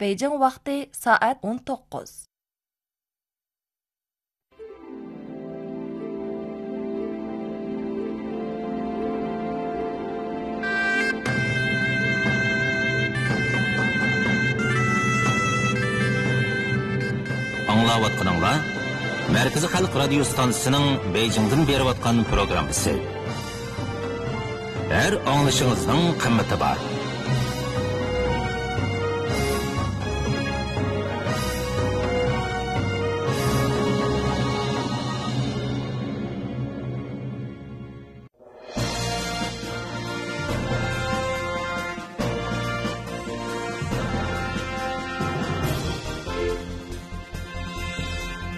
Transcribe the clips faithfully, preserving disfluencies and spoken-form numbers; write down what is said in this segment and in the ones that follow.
بېيجىڭ ۋاقتى سائەت ئون توققۇز. ئاڭلاۋاتقىنىڭلار مەركىزىي خەلق رادىيو ستانسىسىنىڭ بېيجىڭدىن بېرىۋاتقان پروگراممىسى. ھەر ئاڭلىشىڭىزنىڭ قىممىتى بار.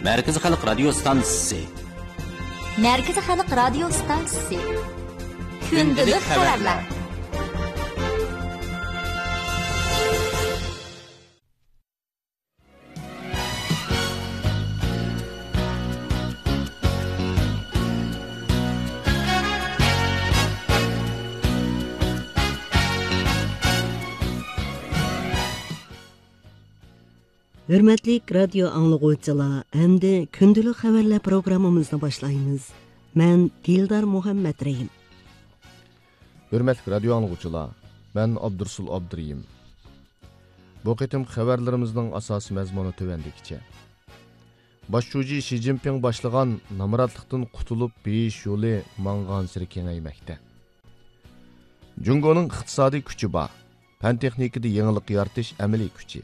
مەركىزىي خەلق رادىيو ستانسىسى. مەركىزىي خەلق رادىيو ستانسىسى. كۈندىلىك خەۋەرلەر. ھۆرمەتلىك رادىيو ئاڭلىغۇچىلار، ئەمدى كۈندىلىك خەۋەرلەر پروگراممىمىزنى باشلايمىز. مەن دىلدار مۇھەممەترېھىم. ھۆرمەتلىك رادىيو ئاڭلىغۇچىلار، مەن ئابدۇرسۇل ئابدۇرېھىم. بۇ قېتىمقى خەۋەرلىرىمىزنىڭ ئاساسىي مەزمۇنى تۆۋەندىكىچە. باش شۇجى شى جىنپىڭ باشلىغان نامراتلىقتىن قۇتۇلۇپ بېيىش يولى ماڭغانسېرى كېڭەيمەكتە. جۇڭگونىڭ ئىقتىسادىي كۈچى بار، پەن-تېخنىكىدا يېڭىلىق يارىتىش ئەمەلىي كۈچى.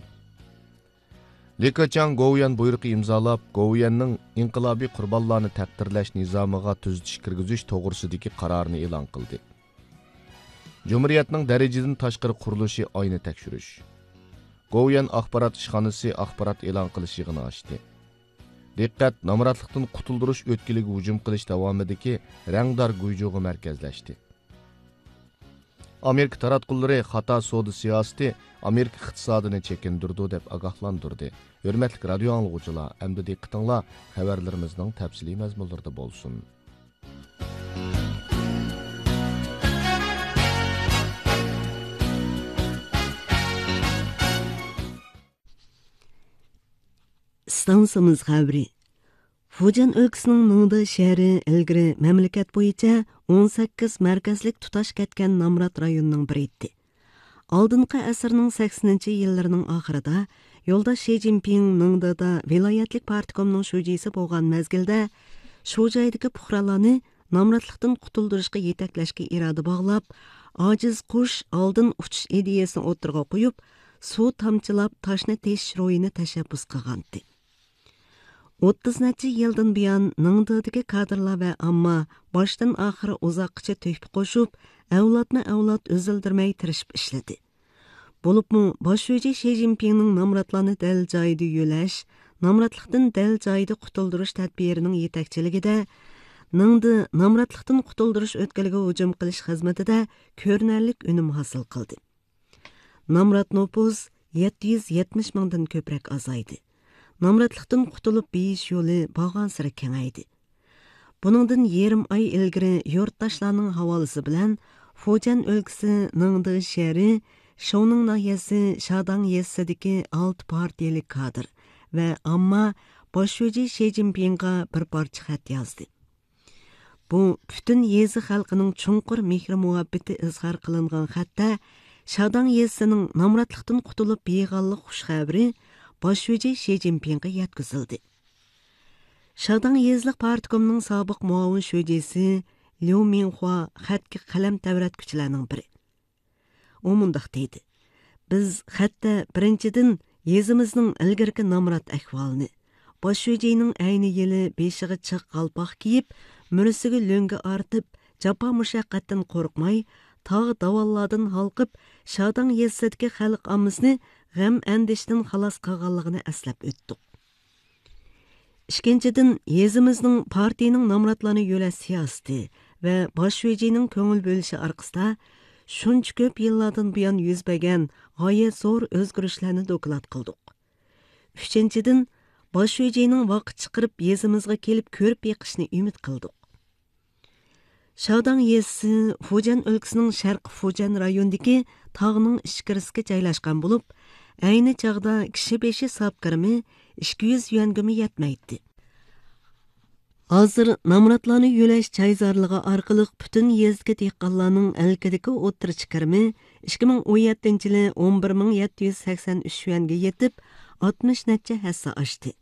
لى كېچياڭ گوۋۇيۈەن بۇيرۇقى ئىمزالاپ، گوۋۇيۈەننىڭ ئىنقىلابىي قۇربانلارنى تەقدىرلەش نىزامىغا تۈزىتىش كىرگۈزۈش توغرىسىدىكى قارارنى ئېلان قىلدى. جۇمھۇرىيەتنىڭ دەرىجىدىن تاشقىرى قۇرۇلۇشى ئاينى تەكشۈرۈش. گوۋۇيۈەن ئاخبارات ئىشخانىسى ئاخبارات ئېلان قىلىش يىغىنى ئاچتى. دىققەت نامراتلىقتىن قۇتۇلدۇرۇش ئۆتكىلىگە ھۇجۇم قىلىش داۋامىدىكى رەڭدار گۇيجۇغا مەركەزلەشتى. ئامېرىكا تاراتقۇلىرى خاتا سودا سىياسىتى ئامېرىكا ئىقتىسادىنى چېكىندۈرىدۇ دەپ ئاگاھلاندۇردى. ھۆرمەتلىك رادىيو ئاڭلىغۇچىلار، ئەمدى دىققىتىڭلار خەۋەرلىرىمىزنىڭ تەپسىلىي مەزمۇنلىرىدا بولسۇن. ئىستانسىمىز خەۋىرى. فۇجيەن ئۆلكىسىنىڭ نىڭدې شەھىرى ئىلگىرى مەملىكەت بويىچە ئون سەككىز مەركەزلىك تۇتاش كەتكەن نامرات رايوننىڭ بىرى ئىدى. ئالدىنقى ئەسىرنىڭ سەكسىنىنچى يىللىرىنىڭ ئاخىرىدا يولداش شى جىنپىڭ نىڭدېدا ۋىلايەتلىك پارتكومنىڭ شۇجىسى بولغان مەزگىلدە، شۇ جايدىكى پۇقرالارنى نامراتلىقتىن قۇتۇلدۇرۇشقا يېتەكلەشكە ئىرادە باغلاپ، ئاجىز قۇش ئالدىن ئۇچۇش ئىدىيەسىنى ئوتتۇرىغا قويۇپ، سۇ تامچىلاپ تاشنى تېشىش روھىنى تەشەببۇس قىلغانتى. ئوتتۇز نەچچە يىلدىن بۇيان نىڭدېدىكى كادىرلار ۋە ئامما باشتىن ئاخىر ئۇزاققىچە تۆھپە قوشۇپ، ئەۋلادمۇ ئەۋلاد ئۈزۈلدۈرمەي تىرىشىپ ئىشلىدى. بولۇپمۇ باش شۇجى شى جىنپىڭنىڭ نامراتلارنى دەل جايىدا يۆلەش، نامراتلىقتىن دەل جايىدا قۇتۇلدۇرۇش تەدبىرىنىڭ يېتەكچىلىكىدە، نىڭدې نامراتلىقتىن قۇتۇلدۇرۇش ئۆتكىلىگە ھۇجۇم قىلىش خىزمىتىدە كۆرۈنەرلىك ئۈنۈم ھاسىل قىلدى. نامرات نوپۇس يەتتە يۈز يەتمىش مىڭدىن كۆپرەك ئازايدى. نامراتلىقتىن قۇتۇلۇپ بېيىش يولى بارغانسېرى كېڭەيدى. بۇنىڭدىن يېرىم ئاي ئىلگىرى يۇرتداشلارنىڭ ھاۋالىسى بىلەن فۇجيەن ئۆلكىسى نىڭدې شەھىرى شوۋنىڭ ناھىيەسى شاداڭ يېزىسىدىكى ئالتە پارتىيەلىك كادىر ۋە ئامما باش شۇجى شى جىنپىڭغا بىر پارچە خەت يازدى. بۇ پۈتۈن يېزا خەلقىنىڭ چوڭقۇر مېھرى مۇھەببىتى ئىزھار قىلىنغان خەتتە شاداڭ يېزىسىنىڭ نامراتلىقتىن قۇتۇلۇپ بېيىغانلىق خۇش خەۋىرى باش شۇجى شى جىنپىڭغا يەتكۈزۈلدى. شاداڭ يېزىلىق پارتكومنىڭ سابىق مۇئاۋىن شۇجىسى ليۇ مىڭخۇا خەتكە قەلەم تەۋرەتكۈچىلەرنىڭ بىرى. ئۇ مۇنداق دېدى: بىز خەتتە بىرىنچىدىن يېزىمىزنىڭ ئىلگىرىكى نامرات ئەھۋالىنى، باش شۇجىنىڭ ئەينى يىلى بېشىغا چىغ قالپاق كىيىپ، مۈرىسىگە لۆڭگە ئارتىپ، جاپا مۇشەققەتتىن قورقماي، تاغ داۋانلاردىن ھالقىپ، شاداڭ يېزىسىدىكى خەلق ئاممىسىنى غەم ئەندىشىدىن خالاس قىلغانلىقىنى ئەسلەپ ئۆتتۇق. ئىككىنچىدىن، يېزىمىزنىڭ پارتىيىنىڭ نامراتلارنى يۆلەش سىياسىتى ۋە باش شۇجىنىڭ كۆڭۈل بۆلۈشى ئارقىسىدا، شۇنچە كۆپ يىللاردىن بۇيان يۈز بەرگەن غايەت زور ئۆزگىرىشلەرنى دوكلات قىلدۇق. ئۈچىنچىدىن، باش شۇجىنىڭ ۋاقىت چىقىرىپ يېزىمىزغا كېلىپ كۆرۈپ بېقىشنى ئۈمىد قىلدۇق. شاداڭ يېزىسى فۇجيەن ئۆلكىسىنىڭ شەرقىي فۇجيەن رايونىدىكى تاغنىڭ ئىچكىرىسىگە جايلاشقان بولۇپ، ئەينى چاغدا كىشى بېشى ساپ كىرىمى ئىككى يۈز يۈەنگىمۇ يەتمەيتتى. ھازىر نامراتلارنى يۆلەش چايزارلىقى ئارقىلىق پۈتۈن يېزىدىكى دېھقانلارنىڭ ئەلكىدىكى ئوتتۇرىچە كىرىمى ئىككى مىڭ ئون يەتتىنچى يىلى ئون بىر مىڭ يەتتە يۈز سەكسەن ئۈچ يۈەنگە يېتىپ، ئاتمىش نەچچە ھەسسە ئاشتى.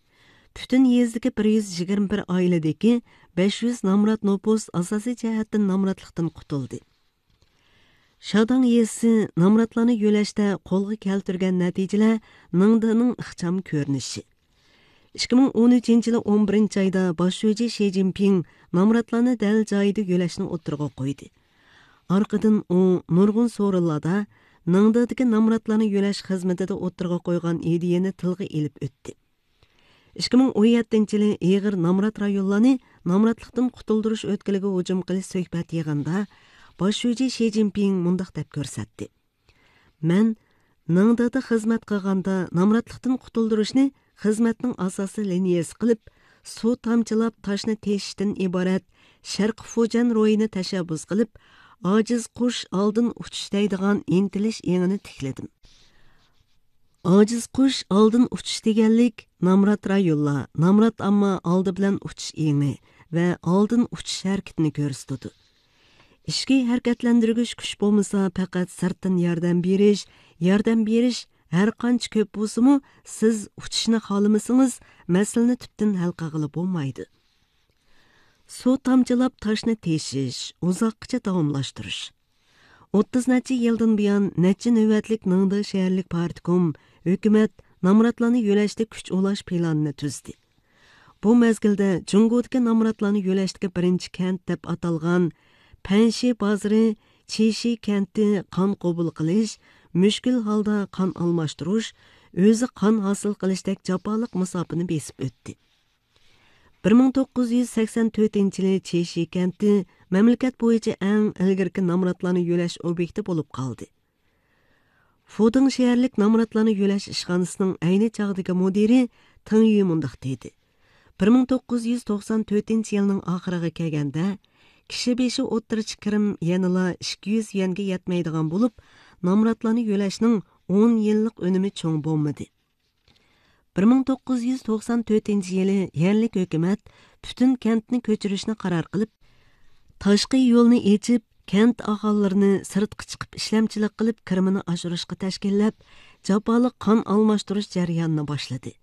پۈتۈن يېزىدىكى بىر يۈز يىگىرمە بىر ئائىلىدىكى بەش يۈز نامرات نوپۇس ئاساسىي جەھەتتىن نامراتلىقتىن قۇتۇلدى. شاداڭ يېزىسى نامراتلارنى يۆلەشتە قولغا كەلتۈرگەن نەتىجىلەر نىڭدېنىڭ ئىخچام كۆرۈنۈشى. ئىككى مىڭ ئون ئۈچىنچى يىلى ئون بىرىنچى ئايدا باش شۇجى شى جىنپىڭ نامراتلارنى دەل جايىدا يۆلەشنى ئوتتۇرىغا قويدى. ئارقىدىن ئۇ نۇرغۇن سورۇنلاردا نىڭدېدىكى نامراتلارنى يۆلەش خىزمىتىدە ئوتتۇرىغا قويغان ئىدىيەنى تىلغا ئېلىپ ئۆتتى. ئىككى مىڭ ئون يەتتىنچى يىلى ئېغىر نامرات رايونلارنى نامراتلىقتىن قۇتۇلدۇرۇش ئۆتكىلىگە ھۇجۇم قىلىش سۆھبەت يىغىنىدا باش شۇجى شى جىنپىڭ مۇنداق دەپ كۆرسەتتى: مەن نىڭدېدا خىزمەت قىلغاندا نامراتلىقتىن قۇتۇلدۇرۇشنى خىزمەتنىڭ ئاساسىي لىنىيەسى قىلىپ، سۇ تامچىلاپ تاشنى تېشىشتىن ئىبارەت شەرقىي فۇجيەن روھىنى تەشەببۇس قىلىپ، ئاجىز قۇش ئالدىن ئۇچۇش دەيدىغان ئىنتىلىش ئېڭىنى تىكلىدىم. ئاجىز قۇش ئالدىن ئۇچۇش دېگەنلىك، نامرات رايونلار، نامرات ئامما ئالدى بىلەن ئۇچۇش ئېڭى ۋە ئالدىن ئۇچۇش ھەرىكىتىنى كۆرسىتىدۇ. ئىچكى ھەرىكەتلەندۈرگۈچ كۈچ بولمىسا، پەقەت سىرتتىن ياردەم بېرىش، ياردەم بېرىش ھەر قانچە كۆپ بولسىمۇ، سىز ئۇچۇشنى خالىمىسىڭىز، مەسىلىنى تۈپتىن ھەل قىلغىلى بولمايدۇ. سۇ تامچىلاپ تاشنى تېشىش، ئۇزاققىچە داۋاملاشتۇرۇش. ئوتتۇز نەچچە يىلدىن بۇيان نەچچە نۆۋەتلىك نىڭدې شەھەرلىك پارتكوم، ھۆكۈمەت نامراتلارنى يۆلەشتە كۈچ ئۇلاش پىلانىنى تۈزدى. بۇ مەزگىلدە جۇڭگودىكى نامراتلارنى يۆلەشتىكى بىرىنچى كەنت دەپ ئاتالغان پەنشى بازىرى چىشى كەنتى قان قوبۇل قىلىش، مۈشكۈل ھالدا قان ئالماشتۇرۇش، ئۆزى قان ھاسىل قىلىشتەك جاپالىق مۇساپىنى بېسىپ ئۆتتى. بىر مىڭ توققۇز يۈز سەكسەن تۆتىنچى يىلى چىشى كەنتى مەملىكەت بويىچە ئەڭ ئىلگىرىكى نامراتلارنى يۆلەش ئوبيېكتى بولۇپ قالدى. فۇدىڭ شەھەرلىك نامراتلارنى يۆلەش ئىشخانىسىنىڭ ئەينى چاغدىكى مۇدىرى تېڭ يۈ مۇنداق دېدى: بىر مىڭ توققۇز يۈز توقسان تۆتىنچى يىلنىڭ ئاخىرىغا كەلگەندە، كىشى بېشى ئوتتۇرىچە كىرىم يەنىلا ئىككى يۈز يۈەنگە يەتمەيدىغان بولۇپ، نامراتلارنى يۆلەشنىڭ ئون يىللىق ئۈنۈمى چوڭ بولمىدى. بىر مىڭ توققۇز يۈز توقسان تۆتىنچى يىلى يەرلىك ھۆكۈمەت پۈتۈن كەنتنى كۆچۈرۈشنى قارار قىلىپ، تاشقى يولنى ئېچىپ، كەنت ئاھالىلىرىنى سىرتقا چىقىپ ئىشلەمچىلىك قىلىپ كىرىمىنى ئاشۇرۇشقا تەشكىللەپ، جاپالىق قان ئالماشتۇرۇش جەريانىنى باشلىدى.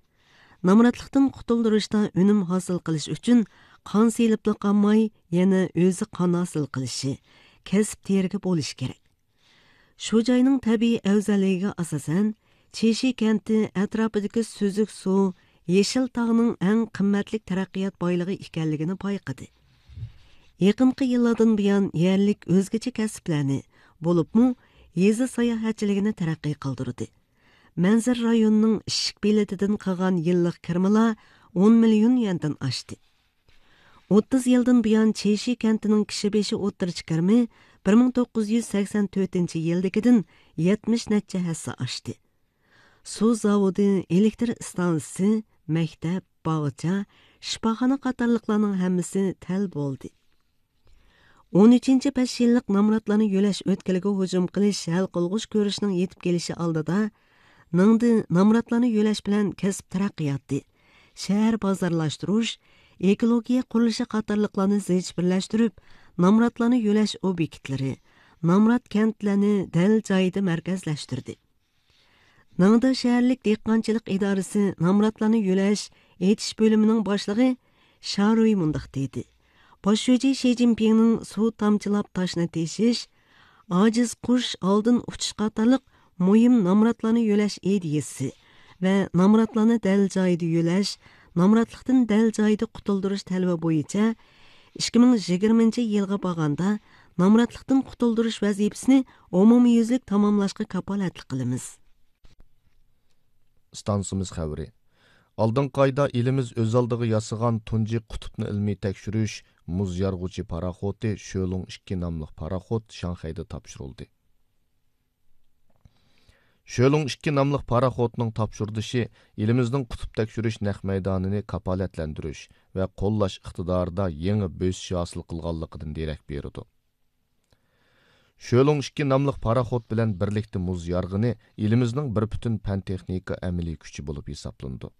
نامراتلىقتىن قۇتۇلدۇرۇشتا ئۈنۈم ھاسىل قىلىش ئۈچۈن قان سېلىپلا قالماي، يەنە ئۆزى قان ھاسىل قىلىشى، كەسىپ تېرىگى بولۇشى كېرەك. شۇ جاينىڭ تەبىئىي ئەۋزەللىكىگە ئاساسەن، چىشى كەنتى ئەتراپىدىكى سۈزۈك سۇ، يېشىل تاغنىڭ ئەڭ قىممەتلىك تەرەققىيات بايلىقى ئىكەنلىكىنى بايقىدى. يېقىنقى يىللاردىن بۇيان يەرلىك ئۆزگىچە كەسىپلەرنى، بولۇپمۇ يېزا ساياھەتچىلىكىنى تەرەققىي قىلدۇردى. مەنزىرە رايونىنىڭ ئىشىك بېلىتىدىن قىلغان يىللىق كىرىمىلا ئون مىليون يۈەندىن ئاشتى. ئوتتۇز يىلدىن بۇيان چىشى كەنتىنىڭ كىشى بېشى ئوتتۇرىچە كىرىمى بىر مىڭ توققۇز يۈز سەكسەن تۆتىنچى يىلدىكىدىن يەتمىش نەچچە ھەسسە ئاشتى. سۇ زاۋۇتى، ئېلېكتر ئىستانسىسى، مەكتەپ، باغچە، شىپاخانا قاتارلىقلارنىڭ ھەممىسى تەل بولدى. ئون ئۈچىنچى بەش يىللىق نامراتلارنى يۆلەش ئۆتكىلىگە ھۇجۇم قىلىش ھەل قىلغۇچ كۈرىشىنىڭ يېتىپ كېلىشى ئالدىدا، نىڭدې نامراتلارنى يۆلەش بىلەن كەسىپ تەرەققىياتى، شەھەر بازارلاشتۇرۇش، ئېكولوگىيە قۇرۇلۇشى قاتارلىقلارنى زىچ بىرلەشتۈرۈپ، نامراتلارنى يۆلەش ئوبيېكتلىرى، نامرات كەنتلەرنى دەل جايىدا مەركەزلەشتۈردى. نىڭدې شەھەرلىك دېھقانچىلىق ئىدارىسى نامراتلارنى يۆلەش، ئېچىش بۆلۈمىنىڭ باشلىقى شارۇي مۇنداق دېدى: باش شۇجى شى جىنپىڭنىڭ سۇ تامچىلاپ تاشنى تېشىش، ئاجىز قۇش ئالدىن ئۇچۇش قاتارلىق مۇھىم نامراتلارنى يۆلەش ئىدىيىسى ۋە نامراتلارنى دەل جايىدا يۆلەش، نامراتلىقتىن دەل جايىدا قۇتۇلدۇرۇش تەلىپى بويىچە ئىككى مىڭ يىگىرمىنچى يىلغا بارغاندا نامراتلىقتىن قۇتۇلدۇرۇش ۋەزىپىسىنى ئومۇميۈزلۈك تاماملاشقا كاپالەتلىك قىلىمىز. ئىستانسىمىز خەۋىرى. ئالدىنقى ئايدا ئېلىمىز ئۆز ئالدىغا ياسىغان تۇنجى قۇتۇپنى ئىلمىي تەكشۈرۈش مۇز يارغۇچى پاراخوتى شۆلۇڭ ئىككى ناملىق پاراخوت شاڭخەيدە تاپشۇرۇلدى. شۆلۇڭ ئىككى ناملىق پاراخوتنىڭ تاپشۇرۇلۇشى ئېلىمىزنىڭ قۇتۇپ تەكشۈرۈش نەق مەيدانىنى كاپالەتلەندۈرۈش ۋە قوللاش ئىقتىدارىدا يېڭى بۆسۈش ھاسىل قىلغانلىقىدىن دېرەك بېرىدۇ. شۆلۇڭ ئىككى ناملىق پاراخوت بىلەن بىرلىكتە مۇز يارغىنى ئېلىمىزنىڭ بىر پۈتۈن پەن تېخنىكا ئەمەلىي كۈچى بولۇپ ھېسابلىنىدۇ.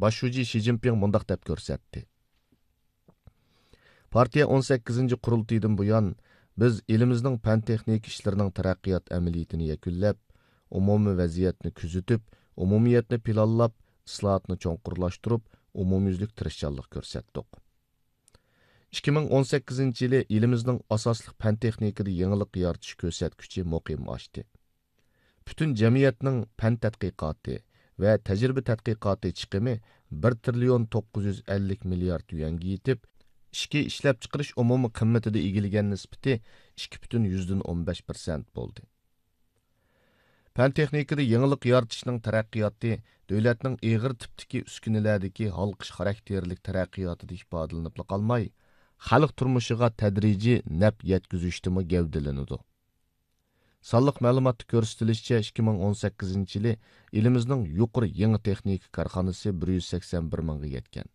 باش شۇجى شى جىنپىڭ مۇنداق دەپ كۆرسەتتى: پارتىيە ئون سەككىزىنچى قۇرۇلتىيىدىن بۇيان، بىز ئېلىمىزنىڭ پەن تېخنىكا ئىشلىرىنىڭ تەرەققىيات ئەمەلىيىتىنى يەكۈنلەپ، ئومۇمىي ۋەزىيەتنى كۆزىتىپ، ئومۇمىيەتنى پىلانلاپ، ئىسلاھاتنى چوڭقۇرلاشتۇرۇپ، ئومۇميۈزلۈك تىرىشچانلىق كۆرسەتتۇق. ئىككى مىڭ ئون سەككىزىنچى يىلى ئېلىمىزنىڭ ئاساسلىق پەن تېخنىكىدا يېڭىلىق يارىتىش كۆرسەتكۈچى مۇقىم ئاشتى. پۈتۈن جەمئىيەتنىڭ پەن تەتقىقاتى ۋە تەجرىبە تەتقىقاتى چىقىمى بىر تىرىليون توققۇز يۈز ئەللىك مىليارد يۈەنگە يېتىپ، ئىچكى ئىشلەپچىقىرىش ئومۇمىي قىممىتىدە ئىگىلىگەن نىسبىتى ئىككى پۈتۈن يۈزدىن ئون بەش پىرسەنت بولدى. پەن تېخنىكىدا يېڭىلىق يارىتىشنىڭ تەرەققىياتى دۆلەتنىڭ ئېغىر تىپتىكى ئۈسكۈنىلەردىكى ھالقىش خاراكتېرلىك تەرەققىياتىدا ئىپادىلىنىپلا قالماي، خەلق تۇرمۇشىغا تەدرىجىي نەپ يەتكۈزۈشتىمۇ گەۋدىلىنىدۇ. سانلىق مەلۇماتتا كۆرسىتىلىشىچە، ئىككى مىڭ ئون سەككىزىنچى يىلى ئېلىمىزنىڭ يۇقىرى يېڭى تېخنىكا كارخانىسى بىر يۈز سەكسەن بىر مىڭغا يەتكەن.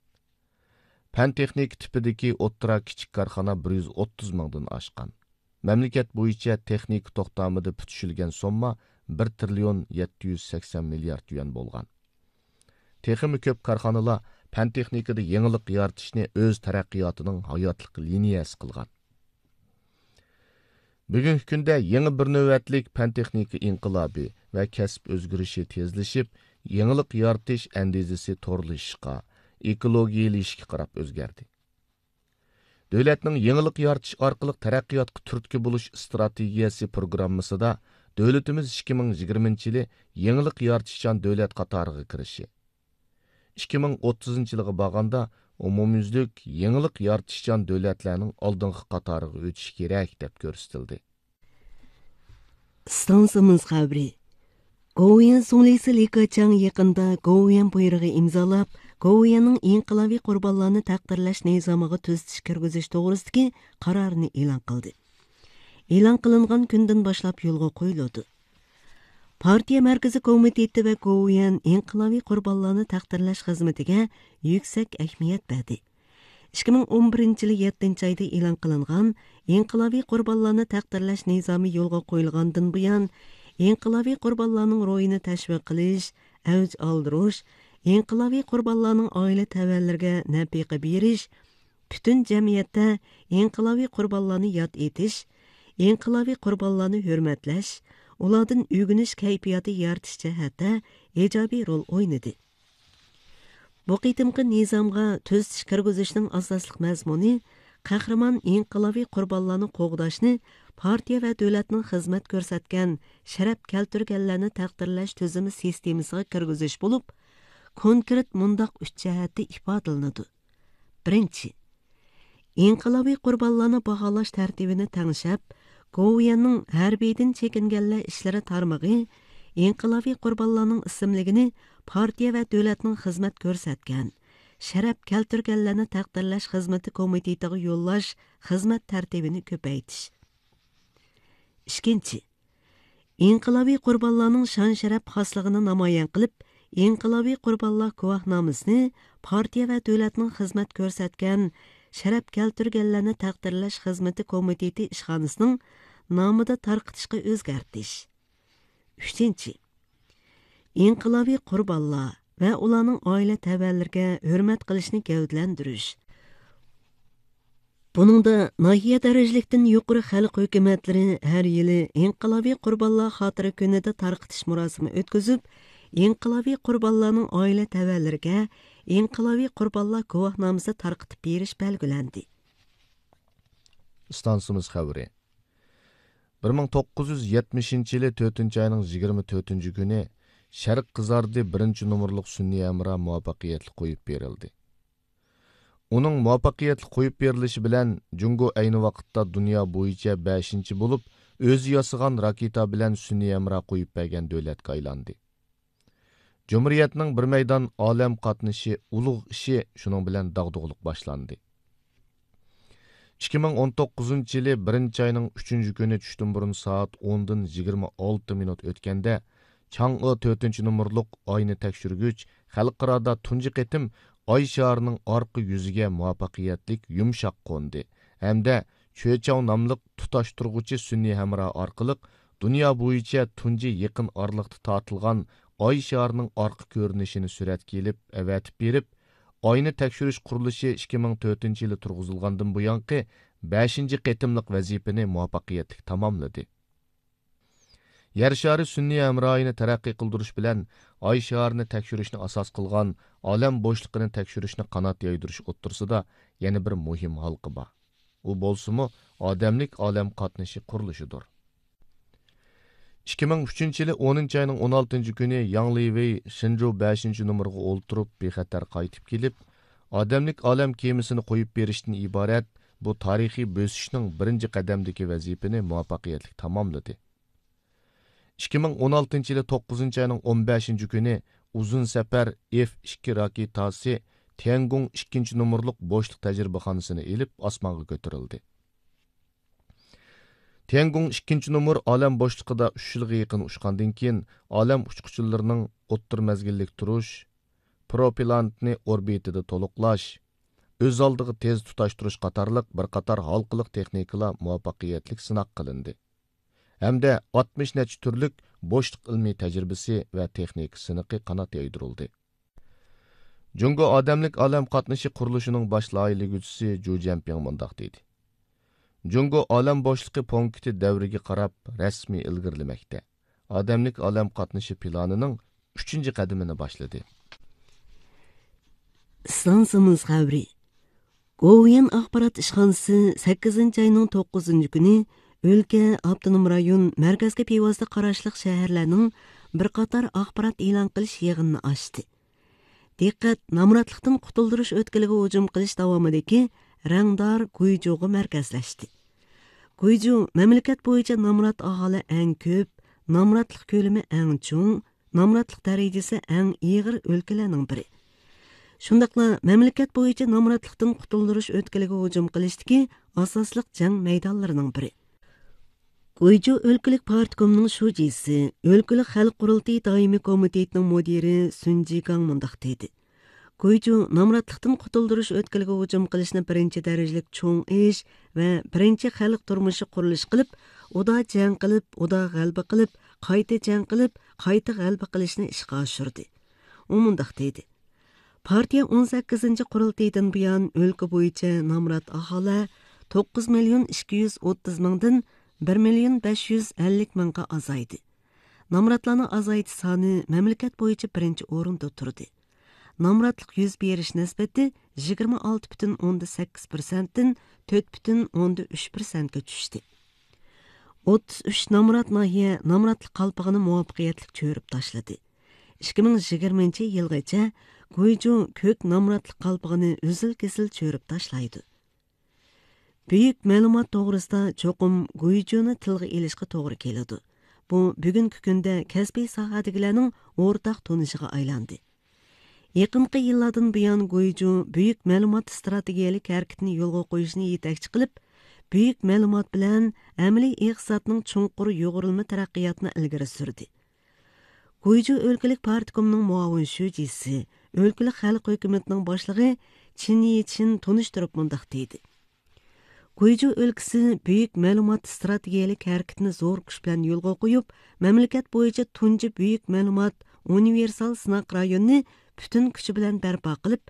پەن تېخنىكا تىپىدىكى ئوتتۇرا، كىچىك كارخانا بىر يۈز ئوتتۇز مىڭدىن ئاشقان. مەملىكەت بويىچە تېخنىكا توختامىدا پۈتۈشۈلگەن سومما بىر تىرىليون يەتتە يۈز سەكسەن مىليارد يۈەن بولغان. تېخىمۇ كۆپ كارخانىلار پەن تېخنىكىدا يېڭىلىق يارىتىشنى ئۆز تەرەققىياتىنىڭ ھاياتلىق لىنىيەسى قىلغان. بۈگۈنكى كۈندە يېڭى بىر نۆۋەتلىك پەن تېخنىكا ئىنقىلابى ۋە كەسىپ ئۆزگىرىشى تېزلىشىپ، يېڭىلىق يارىتىش ئەندىزىسى تورلىشىشقا، ئېكولوگىيىلىشىشكە قاراپ ئۆزگەردى. دۆلەتنىڭ يېڭىلىق يارىتىش ئارقىلىق تەرەققىياتقا تۈرتكە بولۇش ئىستراتېگىيەسى پروگراممىسىدا دۆلىتىمىز ئىككى مىڭ يىگىرمىنچى يىلى يېڭىلىق يارىتىشچان دۆلەت قاتارىغا كىرىشى، ئىككى مىڭ ئوتتۇزىنچى يىلغا بارغاندا ئومۇميۈزلۈك يېڭىلىق يارىتىشچان دۆلەتلەرنىڭ ئالدىنقى قاتارىغا ئۆتۈشى كېرەك، دەپ كۆرسىتىلدى. ئىستانسىمىز خەۋىرى. گوۋۇيۈەن زۇڭلىسى لى كېچياڭ يېقىندا گوۋۇيۈەن بۇيرۇقى ئىمزالاپ، گوۋۇيۈەننىڭ ئىنقىلابىي قۇربانلارنى تەقدىرلەش نىزامىغا تۈزىتىش كىرگۈزۈش توغرىسىدىكى قارارنى ئېلان قىلدى. ئېلان قىلىنغان كۈندىن باشلاپ يولغا قويۇلىدۇ. پارتىيە مەركىزىي كومىتېتى ۋە گوۋۇيۈەن ئىنقىلابىي قۇربانلارنى تەقدىرلەش خىزمىتىگە يۈكسەك ئەھمىيەت بەردى. ئىككى مىڭ ئون بىرىنچى يىلى يەتتىنچى ئايدا ئېلان قىلىنغان ئىنقىلابىي قۇربانلارنى تەقدىرلەش نىزامى يولغا قويۇلغاندىن بۇيان، ئىنقىلابىي قۇربانلارنىڭ روھىنى تەشۋىق قىلىش، ئەۋج ئالدۇرۇش، ئىنقىلابىي قۇربانلارنىڭ ئائىلە تەۋەلىرىگە نەپىقە بېرىش، پۈتۈن جەمئىيەتتە ئىنقىلابىي قۇربانلارنى ياد ئېتىش، ئىنقىلابىي قۇربانلارنى ھۆرمەتلەش، ئۇلاردىن ئۆگىنىش كەيپىياتى يارىتىش جەھەتتە ئىجابىي رول ئوينىدى. بۇ قېتىمقى نىزامغا تۈزىتىش كىرگۈزۈشنىڭ ئاساسلىق مەزمۇنى قەھرىمان ئىنقىلابىي قۇربانلارنى قوغداشنى پارتىيە ۋە دۆلەتنىڭ خىزمەت كۆرسەتكەن، شەرەپ كەلتۈرگەنلەرنى تەقدىرلەش تۈزۈمى سىستېمىسىغا كىرگۈزۈش بولۇپ، كونكرېت مۇنداق ئۈچ جەھەتتە ئىپادىلىنىدۇ. بىرىنچى، ئىنقىلابىي قۇربانلارنى باھالاش تەرتىپىنى تەڭشەپ، گوۋۇيۈەننىڭ ھەربىيدىن چېكىنگەنلەر ئىشلىرى تارمىقى ئىنقىلابىي قۇربانلارنىڭ ئىسىملىكىنى پارتىيە ۋە دۆلەتنىڭ خىزمەت كۆرسەتكەن، شەرەپ كەلتۈرگەنلەرنى تەقدىرلەش خىزمىتى كومىتېتىغا يوللاش خىزمەت تەرتىپىنى كۆپەيتىش. ئىككىنچى، ئىنقىلابىي قۇربانلارنىڭ شان-شەرەپ خاسلىقىنى نامايان قىلىپ، ئىنقىلابىي قۇربانلار گۇۋاھنامىسىنى پارتىيە ۋە دۆلەتنىڭ خىزمەت كۆرسەتكەن، شەرەپ كەلتۈرگەنلەرنى تەقدىرلەش خىزمىتى كومىتېتى ئىشخانىسىنىڭ نامىدا تارقىتىشقا ئۆزگەرتىش. ئۈچىنچى، ئىنقىلابىي قۇربانلار ۋە ئۇلارنىڭ ئائىلە تەۋەلىرىگە ھۆرمەت قىلىشنى گەۋدىلەندۈرۈش. بۇنىڭدا ناھىيە دەرىجىلىكتىن يۇقىرى خەلق ھۆكۈمەتلىرى ھەر يىلى ئىنقىلابىي قۇربانلار خاتىرە كۈنىدە تارقىتىش مۇراسىمى ئۆتكۈزۈپ، ئىنقىلابىي قۇربانلارنىڭ ئائىلە تەۋەلىرىگە ئىنقىلابىي قۇربانلار گۇۋاھنامىسى تارقىتىپ بېرىش بەلگىلەندى. ئىستانسىمىز خەۋىرى. بىر مىڭ توققۇز يۈز يەتمىشىنچى يىلى تۆتىنچى ئاينىڭ يىگىرمە تۆتىنچى كۈنى شەرق قىزاردى بىرىنچى نومۇرلۇق سۈنئىي ھەمراھ مۇۋەپپەقىيەتلىك قويۇپ بېرىلدى. ئۇنىڭ مۇۋەپپەقىيەتلىك قويۇپ بېرىلىشى بىلەن، جۇڭگو ئەينى ۋاقىتتا دۇنيا بويىچە بەشىنچى بولۇپ، ئۆزى ياسىغان راكېتا بىلەن سۈنئىي ھەمراھ قويۇپ بەرگەن دۆلەتكە ئايلاندى. جۇمھۇرىيەتنىڭ بىر مەيدان ئالەم قاتنىشى ئۇلۇغ ئىشى شۇنىڭ بىلەن داغدۇغىلىق باشلاندى. ئىككى مىڭ ئون توققۇزىنچى يىلى بىرىنچى ئاينىڭ ئۈچىنچى كۈنى چۈشتىن بۇرۇن سائەت ئوندىن يىگىرمە ئالتە مىنۇت ئۆتكەندە، چاڭئې تۆتىنچى نومۇرلۇق ئاينى تەكشۈرگۈچ خەلقئارادا تۇنجى قېتىم ئاي شارىنىڭ ئارقا يۈزىگە مۇۋەپپەقىيەتلىك يۇمشاق قوندى ھەمدە چۆچاۋ ناملىق تۇتاشتۇرغۇچى سۈنئىي ھەمراھ ئارقىلىق دۇنيا بويىچە تۇنجى يېقىن ئارىلىقتا تارتىلغان ئاي شارىنىڭ ئارقا كۆرۈنۈشىنى سۈرەتكە ئېلىپ، ئەۋەتىپ بېرىپ، ئاينى تەكشۈرۈش قۇرۇلۇشى ئىككى مىڭ تۆتىنچى يىلى تۇرغۇزۇلغاندىن بۇيانقى بەشىنچى قېتىملىق ۋەزىپىنى مۇۋەپپەقىيەتلىك تاماملىدى. يەر شارى سۈنئىي ھەمراھىنى تەرەققىي قىلدۇرۇش بىلەن ئاي شارىنى تەكشۈرۈشنى ئاساس قىلغان ئالەم بوشلۇقىنى تەكشۈرۈشنى قانات يايدۇرۇش ئوتتۇرىسىدا يەنە بىر مۇھىم ھالقا بار. ئۇ بولسىمۇ ئادەملىك ئالەم قاتنىشى قۇرۇلۇشىدۇر. ئىككى مىڭ ئۈچىنچى يىلى ئونىنچى ئاينىڭ ئون ئالتىنچى كۈنى ياڭ لىۋېي شېنجۇ بەشىنچى نومۇرغا ئولتۇرۇپ بىخەتەر قايتىپ كېلىپ، ئادەملىك ئالەم كېمىسىنى قويۇپ بېرىشتىن ئىبارەت بۇ تارىخىي بۆسۈشنىڭ بىرىنچى قەدەمدىكى ۋەزىپىنى مۇۋەپپەقىيەتلىك تاماملىدى. ئىككى مىڭ ئون ئالتىنچى يىلى توققۇزىنچى ئاينىڭ ئون بەشىنچى كۈنى ئۇزۇن سەپەر ئېف ئىككى راكېتاسى تيەنگۇڭ ئىككىنچى نومۇرلۇق بوشلۇق تەجرىبىخانىسىنى ئېلىپ ئاسمانغا كۆتۈرۈلدى. تيەنگۇڭ ئىككىنچى نومۇر ئالەم بوشلۇقىدا ئۈچ يىلغا يېقىن ئۇچقاندىن كېيىن، ئالەم ئۇچقۇچىلىرىنىڭ ئوتتۇرا مەزگىللىك تۇرۇش، پروپېلانتنى ئوربىتىدا تولۇقلاش، ئۆز ئالدىغا تېز تۇتاشتۇرۇش قاتارلىق بىر قاتار ھالقىلىق تېخنىكىلار مۇۋەپپەقىيەتلىك سىناق قىلىندى ھەمدە ئاتمىش نەچچە تۈرلۈك بوشلۇق ئىلمىي تەجرىبىسى ۋە تېخنىكا سىنىقى قانات يايدۇرۇلدى. جۇڭگو ئادەملىك ئالەم قاتنىشى قۇرۇلۇشىنىڭ باش لايىھىلىگۈچىسى جۇ جيەنپىڭ مۇنداق دېدى: جۇڭگو ئالەم بوشلۇقى پونكىتى دەۋرىگە قاراپ رەسمىي ئىلگىرىلىمەكتە. ئادەملىك ئالەم قاتنىشى پىلانىنىڭ ئۈچىنچى قەدىمىنى باشلىدى. ئىستانسىمىز خەۋىرى. گوۋۇيۈەن ئاخبارات ئىشخانىسى سەككىزىنچى ئاينىڭ توققۇزىنچى كۈنى ئۆلكە، ئاپتونوم رايون، مەركەزگە بىۋاسىتە قاراشلىق شەھەرلەرنىڭ بىر قاتار ئاخبارات ئېلان قىلىش يىغىنىنى ئاچتى. دىققەت نامراتلىقتىن قۇتۇلدۇرۇش ئۆتكىلىگە ھۇجۇم قىلىش داۋامىدىكى رەڭدار گۇيجۇغا مەركەزلەشتى. گۇيجۇ مەملىكەت بويىچە نامرات ئاھالە ئەڭ كۆپ، نامراتلىق كۆلىمى ئەڭ چوڭ، نامراتلىق دەرىجىسى ئەڭ ئېغىر ئۆلكىلەرنىڭ بىرى. شۇنداقلا مەملىكەت بويىچە نامراتلىقتىن قۇتۇلدۇرۇش ئۆتكىلىگە ھۇجۇم قىلىشتىكى ئاساسلىق جەڭ مەيدانلىرىنىڭ بىرى. گۇيجۇ ئۆلكىلىك پارتكومنىڭ شۇجىسى، ئۆلكىلىك خەلق قۇرۇلتىيى دائىمىي كومىتېتىنىڭ مۇدىرى سۈن جىگاڭ مۇنداق دېدى: گۇيجۇ نامراتلىقتىن قۇتۇلدۇرۇش ئۆتكىلىگە ھۇجۇم قىلىشنى بىرىنچى دەرىجىلىك چوڭ ئىش ۋە بىرىنچى خەلق تۇرمۇشى قۇرۇلۇشى قىلىپ، ئۇدا جەڭ قىلىپ، ئۇدا غەلىبە قىلىپ، قايتا جەڭ قىلىپ، قايتا غەلىبە قىلىشنى ئىشقا ئاشۇردى. ئۇ مۇنداق دېدى: پارتىيە ئون سەككىزىنچى قۇرۇلتىيىدىن بۇيان ئۆلكە بويىچە نامرات ئاھالە توققۇز مىليون ئىككى يۈز ئوتتۇز مىڭدىن بىر مىليون بەش يۈز ئەللىك مىڭغا ئازايدى. نامراتلارنىڭ ئازايتىش سانى مەملىكەت بويىچە بىرىنچى ئورۇندا تۇردى. نامراتلىق يۈز بېرىش نىسبىتى يىگىرمە ئالتە پۈتۈن ئوندىن سەككىز پىرسەنتتىن تۆت پۈتۈن ئوندىن ئۈچ پىرسەنتكە چۈشتى. ئوتتۇز ئۈچ نامرات ناھىيە نامراتلىق قالپىقىنى مۇۋەپپەقىيەتلىك چۆرۈپ تاشلىدى. ئىككى مىڭ يىگىرمىنچى يىلغىچە گۇيجۇ كۆك نامراتلىق قالپىقىنى ئۈزۈل-كېسىل چۆرۈپ تاشلايدۇ. بۈيۈك مەلۇمات توغرىسىدا چوقۇم گۇيجۇنى تىلغا ئېلىشقا توغرا كېلىدۇ. بۇ بۈگۈنكى كۈندە كەسپىي ساھەدىكىلەرنىڭ ئورتاق تونۇشىغا ئايلاندى. يېقىنقى يىللاردىن بۇيان، گۇيجۇ بۈيۈك مەلۇمات ئىستراتېگىيەلىك ھەرىكىتىنى يولغا قويۇشنى يېتەكچى قىلىپ، بۈيۈك مەلۇمات بىلەن ئەمەلىي ئىقتىسادنىڭ چوڭقۇر يۇغۇرۇلما تەرەققىياتىنى ئىلگىرى سۈردى. گۇيجۇ ئۆلكىلىك پارتكومنىڭ مۇئاۋىن شۇجىسى، ئۆلكىلىك خەلق ھۆكۈمىتىنىڭ باشلىقى چىن يىچىن تونۇشتۇرۇپ مۇنداق دېدى: گۇيجۇ ئۆلكىسى بۈيۈك مەلۇمات ئىستراتېگىيەلىك ھەرىكىتىنى زور كۈچ بىلەن يولغا قويۇپ، مەملىكەت بويىچە تۇنجى بۈيۈك مەلۇمات ئۇنىۋېرسال سىناق رايونىنى پۈتۈن كۈچى بىلەن بەرپا قىلىپ،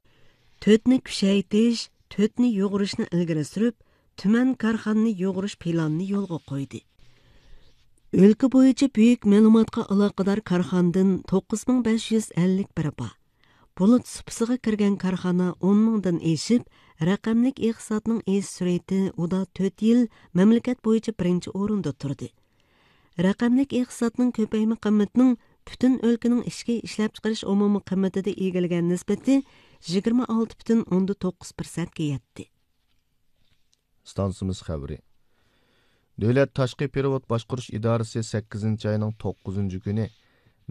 تۆتنى كۈچەيتىش، تۆتنى يۇغۇرۇشنى ئىلگىرى سۈرۈپ، تۈمەن كارخانىنى يۇغۇرۇش پىلانىنى يولغا قويدى. ئۆلكە بويىچە بۈيۈك مەلۇماتقا ئالاقىدار كارخانىدىن توققۇز مىڭ بەش يۈز ئەللىك بىرى بار. بۇلۇت سۇپىسىغا كىرگەن كارخانا ئون مىڭدىن ئېشىپ، رەقەملىك ئىقتىسادنىڭ ئېشىش سۈرئىتى ئۇدا تۆت يىل مەملىكەت بويىچە بىرىنچى ئورۇندا تۇردى. رەقەملىك ئىقتىسادنىڭ كۆپەيمە قىممىتىنىڭ پۈتۈن ئۆلكىنىڭ ئىچكى ئىشلەپچىقىرىش ئومۇمىي قىممىتىدە ئىگىلىگەن نىسبىتى يىگىرمە ئالتە پۈتۈن ئوندىن توققۇز پىرسەنتكە يەتتى. ئىستانسىمىز خەۋىرى. دۆلەت تاشقى پېرېۋوت باشقۇرۇش ئىدارىسى سەككىزىنچى ئاينىڭ توققۇزىنچى كۈنى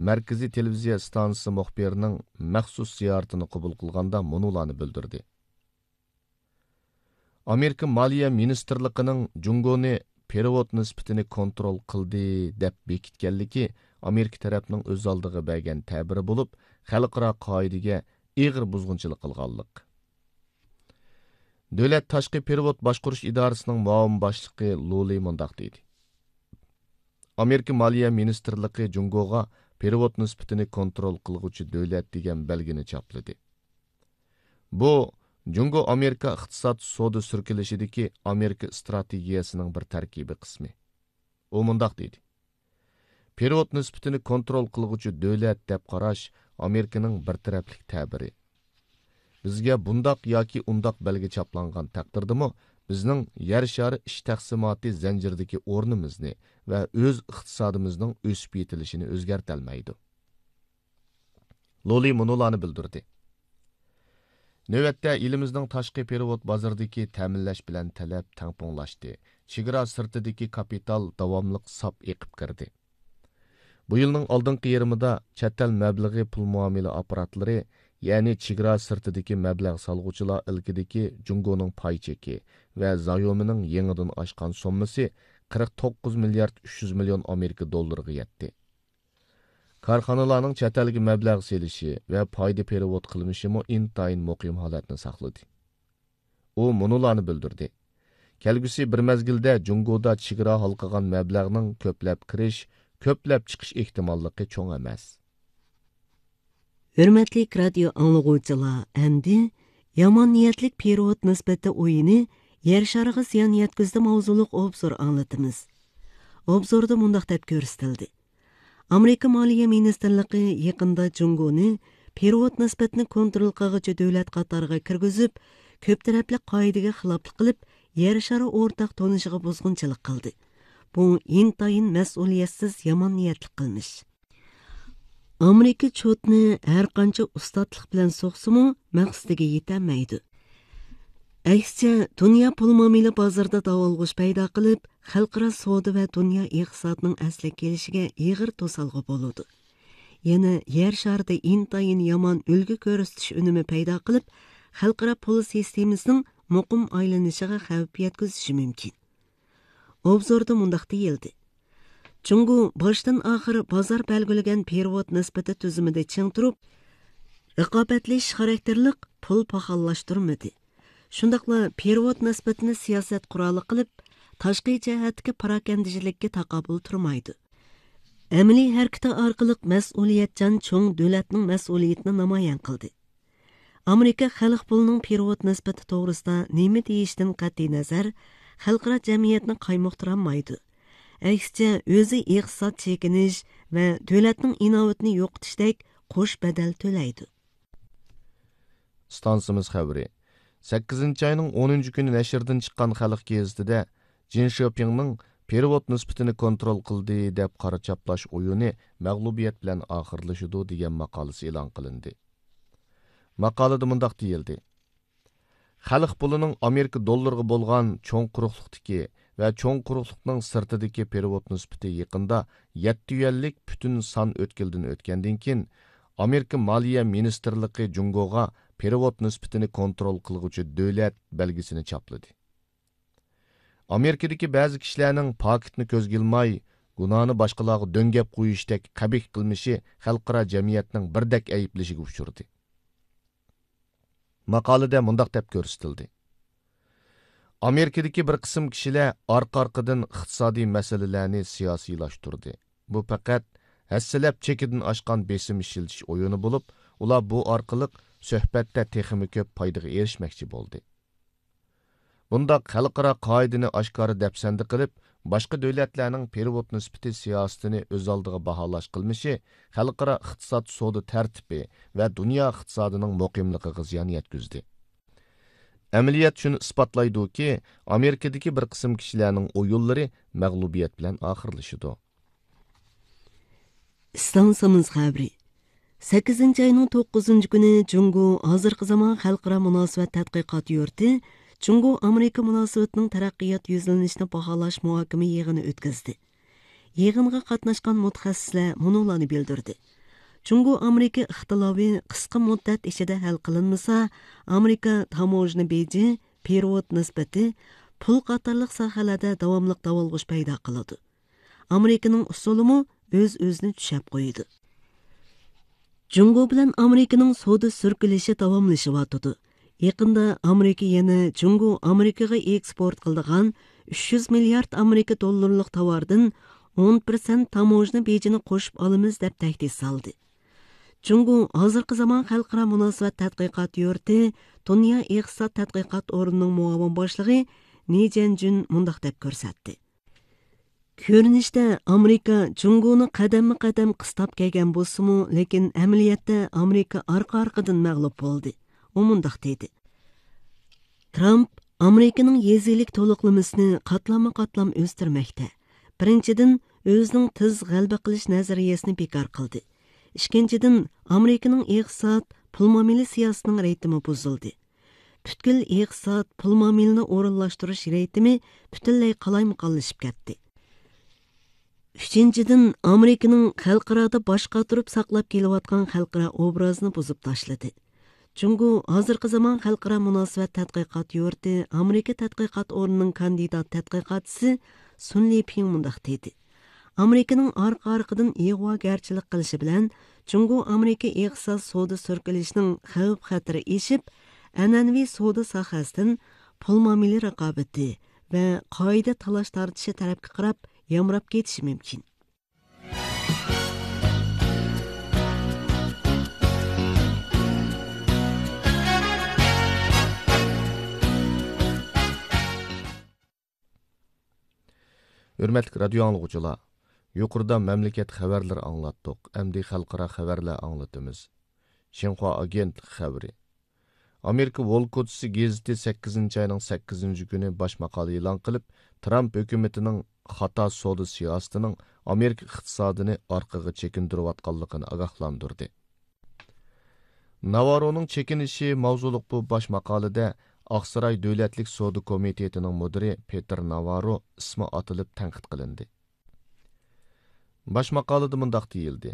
مەركىزىي تېلېۋىزىيە ئىستانسىسى مۇخبىرىنىڭ مەخسۇس زىيارىتىنى قوبۇل قىلغاندا مۇنۇلارنى بىلدۈردى: ئامېرىكا مالىيە مىنىستىرلىقىنىڭ جۇڭگونى پېرېۋوت نىسبىتىنى كونترول قىلدى دەپ بېكىتكەنلىكى ئامېرىكا تەرەپنىڭ ئۆز ئالدىغا بەرگەن تەبىرى بولۇپ، خەلقئارا قائىدىگە ئېغىر بۇزغۇنچىلىق قىلغانلىق. دۆلەت تاشقى پېرېۋوت باشقۇرۇش ئىدارىسىنىڭ مۇئاۋىن باشلىقى لۇلى مۇنداق دېدى: ئامېرىكا مالىيە مىنىستىرلىقى جۇڭگوغا پېرېۋوت نىسبىتىنى كونترول قىلغۇچى دۆلەت دېگەن بەلگىنى چاپلىدى. بۇ، جۇڭگو ئامېرىكا ئىقتىساد سودا سۈركىلىشىدىكى ئامېرىكا ئىستراتېگىيەسىنىڭ بىر تەركىبىي قىسمى. ئۇ مۇنداق دېدى: پېرېۋوت نىسبىتىنى كونترول قىلغۇچى دۆلەت دەپ قاراش ئامېرىكىنىڭ بىر تەرەپلىك تەبىرى. بىزگە بۇنداق ياكى ئۇنداق بەلگە چاپلانغان تەقدىردىمۇ، بىزنىڭ يەر شارى ئىش تەقسىماتى زەنجىرىدىكى ئورنىمىزنى ۋە ئۆز ئىقتىسادىمىزنىڭ ئۆسۈپ يېتىلىشىنى ئۆزگەرتەلمەيدۇ. لولى مۇنۇلارنى بىلدۈردى: نۆۋەتتە ئېلىمىزنىڭ تاشقى پېرېۋوت بازىرىدىكى تەمىنلەش بىلەن تەلەپ تەڭپۇڭلاشتى. چېگرا سىرتىدىكى كاپىتال داۋاملىق ساپ ئېقىپ كىردى. بۇ يىلنىڭ ئالدىنقى يېرىمىدا چەت ئەل مەبلىغى پۇل مۇئامىلە ئاپپاراتلىرى، يەنى چېگرا سىرتىدىكى مەبلەغ سالغۇچىلار ئىلكىدىكى جۇڭگونىڭ پاي چېكى ۋە زايومىنىڭ يېڭىدىن ئاشقان سوممىسى قىرىق توققۇز مىليارد ئۈچ يۈز مىليون ئامېرىكا دوللىرىغا يەتتى. كارخانىلارنىڭ چەت ئەلگە مەبلەغ سېلىشى ۋە پايدا پېرېۋوت قىلمىشىمۇ ئىنتايىن مۇقىم ھالەتنى ساقلىدى. ئۇ مۇنۇلارنى بىلدۈردى: كەلگۈسى بىر مەزگىلدە جۇڭگودا چېگرا ھالقىغان مەبلەغنىڭ كۆپلەپ كىرىش، كۆپلەپ چىقىش ئېھتىماللىقى چوڭ ئەمەس. ھۆرمەتلىك رادىيو ئاڭلىغۇچىلار، ئەمدى يامان نىيەتلىك پېرېۋوت نىسبىتى ئويۇنى يەر شارىغا زىيان يەتكۈزدى ماۋزۇلۇق ئوبزور ئاڭلىتىمىز. ئوبزوردا مۇنداق دەپ كۆرسىتىلدى: ئامېرىكا مالىيە مىنىستىرلىقى يېقىندا جۇڭگونى پېرېۋوت نىسبىتىنى كونترول قىلغۇچى دۆلەت قاتارىغا كىرگۈزۈپ، كۆپ تەرەپلىك قائىدىگە خىلاپلىق قىلىپ، يەر شارى ئورتاق تونۇشىغا بۇزغۇنچىلىق قىلدى. بۇ ئىنتايىن مەسئۇلىيەتسىز، يامان نىيەتلىك قىلمىش. ئامېرىكا چوتنى ھەر قانچە ئۇستاتلىق بىلەن سوقسىمۇ، مەقسىتىگە يېتەلمەيدۇ. ئەكسىچە، دۇنيا پۇل مۇئامىلە بازىرىدا داۋالغۇش پەيدا قىلىپ، خەلقئارا سودا ۋە دۇنيا ئىقتىسادىنىڭ ئەسلىگە كېلىشىگە ئېغىر توسالغۇ بولىدۇ. يەنە يەر شارىدا ئىنتايىن يامان ئۈلگە كۆرسىتىش ئۈنۈمى پەيدا قىلىپ، خەلقئارا پۇل سىستېمىسىنىڭ مۇقىم ئايلىنىشىغا خەۋپ يەتكۈزۈشى مۇمكىن. ئوبزوردا مۇنداق دېيىلدى: جۇڭگو باشتىن ئاخىر بازار بەلگىلىگەن پېرېۋوت نىسبىتى تۈزۈمىدە چىڭ تۇرۇپ، رىقابەتلىشىش خاراكتېرلىق پۇل پاخاللاشتۇرمىدى. شۇنداقلا پېرېۋوت نىسبىتىنى سىياسەت قورالى قىلىپ، تاشقى جەھەتتىكى پاراكەندىچىلىككە تاقابىل تۇرمايدۇ. ئەمەلىي ھەرىكىتى ئارقىلىق مەسئۇلىيەتچان چوڭ دۆلەتنىڭ مەسئۇلىيىتىنى نامايان قىلدى. ئامېرىكا خەلق پۇلىنىڭ پېرېۋوت نىسبىتى توغرىسىدا نېمە دېيىشتىن قەتئىينەزەر، خەلقئارا جەمئىيەتنى قايمۇقتۇرالمايدۇ. ئەكسىچە، ئۆزى ئىقتىساد چېكىنىش ۋە دۆلەتنىڭ ئىناۋىتىنى يوقىتىشتەك قوش بەدەل تۆلەيدۇ. ئىستانسىمىز خەۋىرى. سەككىزىنچى ئاينىڭ ئونىنچى كۈنى نەشردىن چىققان خەلق گېزىتىدە جىن شىپىڭنىڭ پېرېۋوت نىسبىتىنى كونترول قىلدى دەپ قارا چاپلاش ئويۇنى مەغلۇبىيەت بىلەن ئاخىرلىشىدۇ دېگەن ماقالىسى ئېلان قىلىندى. ماقالىدە مۇنداق دېيىلدى: خەلق پۇلىنىڭ ئامېرىكا دوللىرىغا بولغان چوڭ قۇرۇقلۇقتىكى ۋە چوڭ قۇرۇقلۇقنىڭ سىرتىدىكى پېرېۋوت نىسبىتى يېقىندا يەتتە يۈەنلىك پۈتۈن سان ئۆتكىلىدىن ئۆتكەندىن كېيىن، ئامېرىكا مالىيە مىنىستىرلىقى جۇڭگوغا پېرېۋوت نىسبىتىنى كونترول قىلغۇچى دۆلەت بەلگىسىنى چاپلىدى. ئامېرىكىدىكى بەزى كىشىلەرنىڭ پاكىتنى كۆزگە ئىلماي، گۇناھنى باشقىلارغا دۆڭگەپ قويۇشتەك قەبىھ قىلمىشى خەلقئارا جەمئىيەتنىڭ بىردەك ئەيىبلىشىگە ئۇچرىدى. ماقالىدە مۇنداق دەپ كۆرسىتىلدى: ئامېرىكىدىكى بىر قىسىم كىشىلەر ئارقا-ئارقىدىن ئىقتىسادىي مەسىلىلەرنى سىياسىيلاشتۇردى. بۇ پەقەت ھەسسىلەپ چېكىدىن ئاشقان بېسىم ئىشلىتىش ئويۇنى بولۇپ، ئۇلار بۇ ئارقىلىق سۆھبەتتە تېخىمۇ كۆپ پايدىغا ئېرىشمەكچى بولدى. بۇنداق خەلقئارا قائىدىنى ئاشكارا دەپسەندە قىلىپ، باشقا دۆلەتلەرنىڭ پېرېۋوت نىسبىتى سىياسىتىنى ئۆز ئالدىغا باھالاش قىلمىشى خەلقئارا ئىقتىساد سودا تەرتىپى ۋە دۇنيا ئىقتىسادىنىڭ مۇقىملىقىغا زىيان يەتكۈزدى. ئەمەلىيەت شۇنى ئىسپاتلايدۇكى، ئامېرىكىدىكى بىر قىسىم كىشىلەرنىڭ ئويۇنلىرى مەغلۇبىيەت بىلەن ئاخىرلىشىدۇ. ئىستانسىمىز خەۋىرى. سەككىزىنچى ئاينىڭ توققۇزىنچى كۈنى جۇڭگو ھازىرقى زامان خەلقئارا مۇناسىۋەت تەتقىقات يۇرتى جۇڭگو ئامېرىكا مۇناسىۋىتىنىڭ تەرەققىيات يۈزلىنىشىنى باھالاش مۇھاكىمە يىغىنى ئۆتكۈزدى. يىغىنغا قاتناشقان مۇتەخەسسىسلەر مۇنۇلارنى بىلدۈردى: جۇڭگو ئامېرىكا ئىختىلاپى قىسقا مۇددەت ئىچىدە ھەل قىلىنمىسا، ئامېرىكا تاموژنا بېجى، پېرېۋوت نىسبىتى، پۇل قاتارلىق ساھەلەردە داۋاملىق داۋالغۇش پەيدا قىلىدۇ. ئامېرىكىنىڭ ئۇسۇلىمۇ ئۆز-ئۆزىنى چۈشەپ قويىدۇ. جۇڭگو بىلەن ئامېرىكىنىڭ سودا سۈركىلىشى داۋاملىشىۋاتىدۇ. يېقىندا ئامېرىكا يەنە جۇڭگو ئامېرىكىغا ئېكسپورت قىلىدىغان ئۈچ يۈز مىليارد ئامېرىكا دوللىرىلىق تاۋاردىن ئون پىرسەنت تاموژنا بېجىنى قوشۇپ ئالىمىز دەپ تەھدىت سالدى. جۇڭگو ھازىرقى زامان خەلقئارا مۇناسىۋەت تەتقىقات يۇرتى دۇنيا ئىقتىساد تەتقىقات ئورنىنىڭ مۇئاۋىن باشلىقى نى جيەنجۈن مۇنداق دەپ كۆرسەتتى. كۆرۈنۈشتە ئامېرىكا جۇڭگونى قەدەممۇ قەدەم قىستاپ كەلگەن بولسىمۇ، لېكىن ئەمەلىيەتتە ئامېرىكا ئارقا ئارقىدىن مەغلۇپ بولدى. ئۇ مۇنداق دېدى: ترامپ ئامېرىكىنىڭ يېزا ئىگىلىك تولۇقلىمىسىنى قاتلاممۇ قاتلام ئۆستۈرمەكتە. بىرىنچىدىن، ئۆزىنىڭ تېز غەلىبە قىلىش نەزەرىيەسىنى بىكار قىلدى. ئىككىنچىدىن، ئامېرىكىنىڭ ئىقتىساد، پۇل مۇئامىلە سىياسىتىنىڭ رىتىمى بۇزۇلدى. پۈتكۈل ئىقتىساد، پۇل مۇئامىلىنى ئورۇنلاشتۇرۇش رىتىمى پۈتۈنلەي قالايمىقانلىشىپ كەتتى. ئۈچىنچىدىن، ئامېرىكىنىڭ خەلقئارادا باش قاتۇرۇپ ساقلاپ كېلىۋاتقان خەلقئارا ئوبرازىنى بۇزۇپ تاشلىدى. جۇڭگو ھازىرقى زامان خەلقئارا مۇناسىۋەت تەتقىقات يۇرتى ئامېرىكا تەتقىقات ئورنىنىڭ كاندىدات تەتقىقاتچىسى سۇن لىپىڭ مۇنداق دېدى: ئامېرىكىنىڭ ئارقا-ئارقىدىن ئىغۋاگەرچىلىك قىلىشى بىلەن، جۇڭگو ئامېرىكا ئىقتىساد سودا سۈركىلىشىنىڭ خەۋپ-خەتىرى ئېشىپ، ئەنئەنىۋى سودا ساھەسىدىن پۇل مۇئامىلە رىقابىتى ۋە قائىدە تالاش-تارتىشى تەرەپكە قاراپ يامراپ كېتىشى مۇمكىن. ھۆرمەتلىك رادىيو ئاڭلىغۇچىلار، يۇقىرىدا مەملىكەت خەۋەرلىرى ئاڭلاتتۇق، ئەمدى خەلقئارا خەۋەرلەر ئاڭلىتىمىز. شىنخۇا ئاگېنتلىقى خەۋىرى. ئامېرىكا ۋول كوچىسى گېزىتى سەككىزىنچى ئاينىڭ سەككىزىنچى كۈنى باش ماقالە ئېلان قىلىپ، ترامپ ھۆكۈمىتىنىڭ خاتا سودا سىياسىتىنىڭ ئامېرىكا ئىقتىسادىنى ئارقىغا چېكىندۈرۈۋاتقانلىقىنى ئاگاھلاندۇردى. ناۋارونىڭ چېكىنىشى ماۋزۇلۇق بۇ باش ماقالىدە ئاقساراي دۆلەتلىك سودا كومىتېتىنىڭ مۇدىرى پېتېر ناۋارو ئىسمى ئاتىلىپ تەنقىد قىلىندى. باش ماقالىدە مۇنداق دېيىلدى: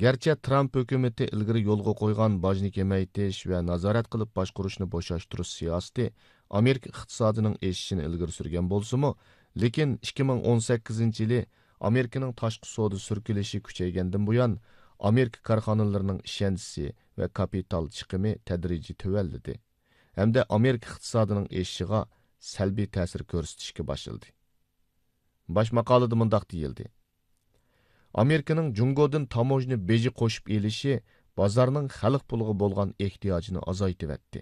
گەرچە ترامپ ھۆكۈمىتى ئىلگىرى يولغا قويغان باجنى كېمەيتىش ۋە نازارەت قىلىپ باشقۇرۇشنى بوشاشتۇرۇش سىياسىتى ئامېرىكا ئىقتىسادىنىڭ ئېشىشىنى ئىلگىرى سۈرگەن بولسىمۇ، لېكىن ئىككى مىڭ ئون سەككىزىنچى يىلى ئامېرىكىنىڭ تاشقى سودا سۈركىلىشى كۈچەيگەندىن بۇيان، ئامېرىكا كارخانىلىرىنىڭ ئىشەنچىسى ۋە كاپىتال چىقىمى تەدرىجىي تۆۋەنلىدى ھەمدە ئامېرىكا ئىقتىسادىنىڭ ئېشىشىغا سەلبىي تەسىر كۆرسىتىشكە باشلىدى. باش ماقالىدە مۇنداق دېيىلدى: ئامېرىكىنىڭ جۇڭگودىن تاموژنا بېجى قوشۇپ ئېلىشى بازارنىڭ خەلق پۇلىغا بولغان ئېھتىياجىنى ئازايتىۋەتتى.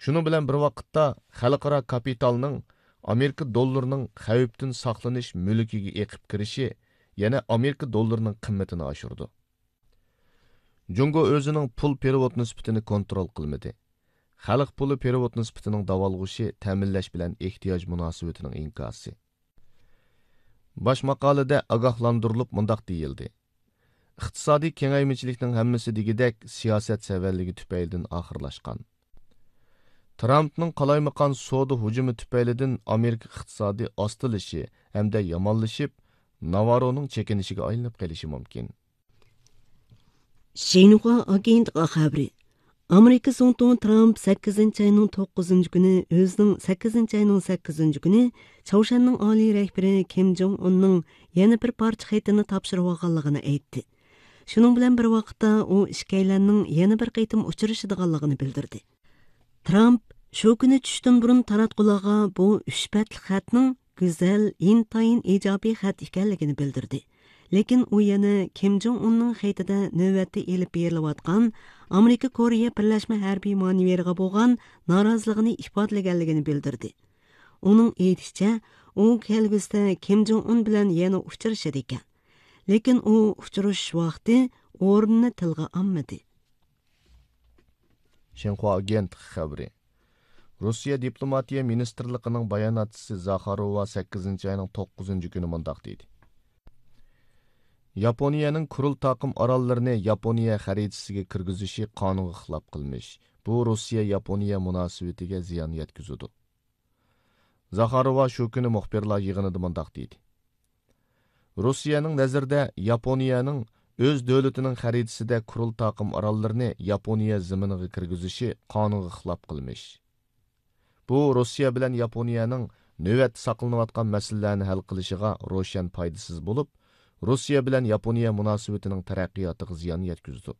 شۇنىڭ بىلەن بىر ۋاقىتتا، خەلقئارا كاپىتالنىڭ ئامېرىكا دوللىرىنىڭ خەۋپتىن ساقلىنىش مۈلكىگە ئېقىپ كىرىشى يەنە ئامېرىكا دوللىرىنىڭ قىممىتىنى ئاشۇرىدۇ. جۇڭگو ئۆزىنىڭ پۇل پېرېۋوت نىسبىتىنى كونترول قىلمىدى. خەلق پۇلى پېرېۋوت نىسبىتىنىڭ داۋالغۇشى تەمىنلەش بىلەن ئېھتىياج مۇناسىۋىتىنىڭ ئىنكاسى. باش ماقالىدە ئاگاھلاندۇرۇلۇپ مۇنداق دېيىلدى: ئىقتىسادىي كېڭەيمىچىلىكنىڭ ھەممىسى دېگۈدەك سىياسەت سەۋەنلىكى تۈپەيلىدىن ئاخىرلاشقان. ترامپنىڭ قالايمىقان سودا ھۇجۇمى تۈپەيلىدىن ئامېرىكا ئىقتىسادى ئاستىلىشى ھەمدە يامانلىشىپ، ناۋارونىڭ چېكىنىشىگە ئايلىنىپ قېلىشى مۇمكىن. شىنخۇا ئاگېنتلىقى خەۋىرى. ئامېرىكا زۇڭتۇڭى ترامپ سەككىزىنچى ئاينىڭ توققۇزىنچى كۈنى ئۆزىنىڭ سەككىزىنچى ئاينىڭ سەككىزىنچى كۈنى چاۋشيەننىڭ ئالىي رەھبىرى كىم جوڭ ئۇننىڭ يەنە بىر پارچە خېتىنى تاپشۇرۇۋالغانلىقىنى ئېيتتى. شۇنىڭ بىلەن بىر ۋاقىتتا ئۇ ئىككىيلەننىڭ يەنە بىر قېتىم ئۇچرىشىدىغانلىقىنى بىلدۈردى. ترامپ شۇ كۈنى چۈشتىن بۇرۇن تاراتقۇلارغا بۇ ئۈچ بەتلىك خەتنىڭ گۈزەل، ئىنتايىن ئىجابىي خەت ئىكەنلىكىنى بىلدۈردى. لېكىن ئۇ يەنە كىم جوڭ ئۇننىڭ خېتىدە نۆۋەتتە ئېلىپ بېرىلىۋاتقان ئامېرىكا كورېيە بىرلەشمە ھەربىي مانېۋىرىغا بولغان نارازىلىقىنى ئىپادىلىگەنلىكىنى بىلدۈردى. ئۇنىڭ ئېيتىشىچە، ئۇ كەلگۈسىدە كىم جوڭ ئۇن بىلەن يەنە ئۇچرىشىدىكەن. لېكىن ئۇ ئۇچرىشىش ۋاقتى، ئورنىنى تىلغا ئالمىدى. شىنخۇا ئاگېنتلىقى خەۋىرى. روسىيە دىپلوماتىيە مىنىستىرلىقىنىڭ باياناتچىسى زاخاروۋا سەككىزىنچى ئاينىڭ توققۇزىنچى كۈنى مۇنداق دېدى: ياپونىيەنىڭ كۇرىل تاقىم ئاراللىرىنى ياپونىيە خەرىتىسىگە كىرگۈزۈشى قانۇنغا خىلاپ قىلمىش. بۇ روسىيە ياپونىيە مۇناسىۋىتىگە زىيان يەتكۈزىدۇ. زاخاروۋا شۇ كۈنى مۇخبىرلار يىغىنىدا مۇنداق دېدى: روسىيەنىڭ نەزىرىدە ياپونىيەنىڭ ئۆز دۆلىتىنىڭ خەرىتىسىدە كۇرىل تاقىم ئاراللىرىنى ياپونىيە زېمىنىغا كىرگۈزۈشى قانۇنغا خىلاپ قىلمىش. بۇ روسىيە بىلەن ياپونىيەنىڭ نۆۋەتتە ساقلىنىۋاتقان مەسىلىلەرنى ھەل قىلىشىغا روشەن پايدىسىز بولۇپ، روسىيە بىلەن ياپونىيە مۇناسىۋىتىنىڭ تەرەققىياتىغا زىيان يەتكۈزىدۇ.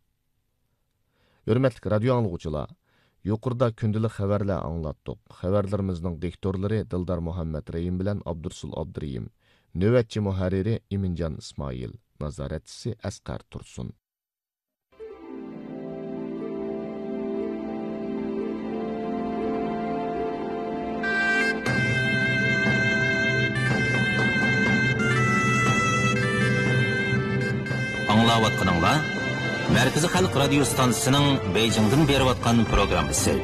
ھۆرمەتلىك رادىيو ئاڭلىغۇچىلار، يۇقىرىدا كۈندىلىك خەۋەرلەر ئاڭلاتتۇق. خەۋەرلىرىمىزنىڭ دىكتورلىرى دىلدار مۇھەممەت رەھىم بىلەن ئابدۇرسۇل ئابدۇرېھىم. نۆۋەتچى مۇھەررىرى ئىمىنجان ئىسمائىل. نازارەتچىسى ئەسقەر تۇرسۇن. ئاڭلاۋاتقىنىڭلار مەركىزىي خەلق رادىيو ستانسىسىنىڭ بېيجىڭدىن بېرىۋاتقان پروگراممىسى.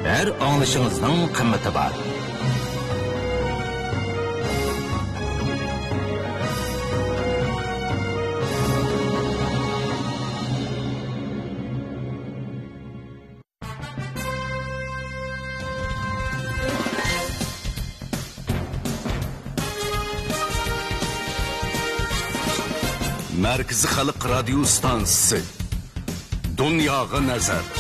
ھەر ئاڭلىشىڭىزنىڭ قىممىتى بار. مەركىزىي خەلق رادىيو ستانسىسى. دۇنياغا نەزەر.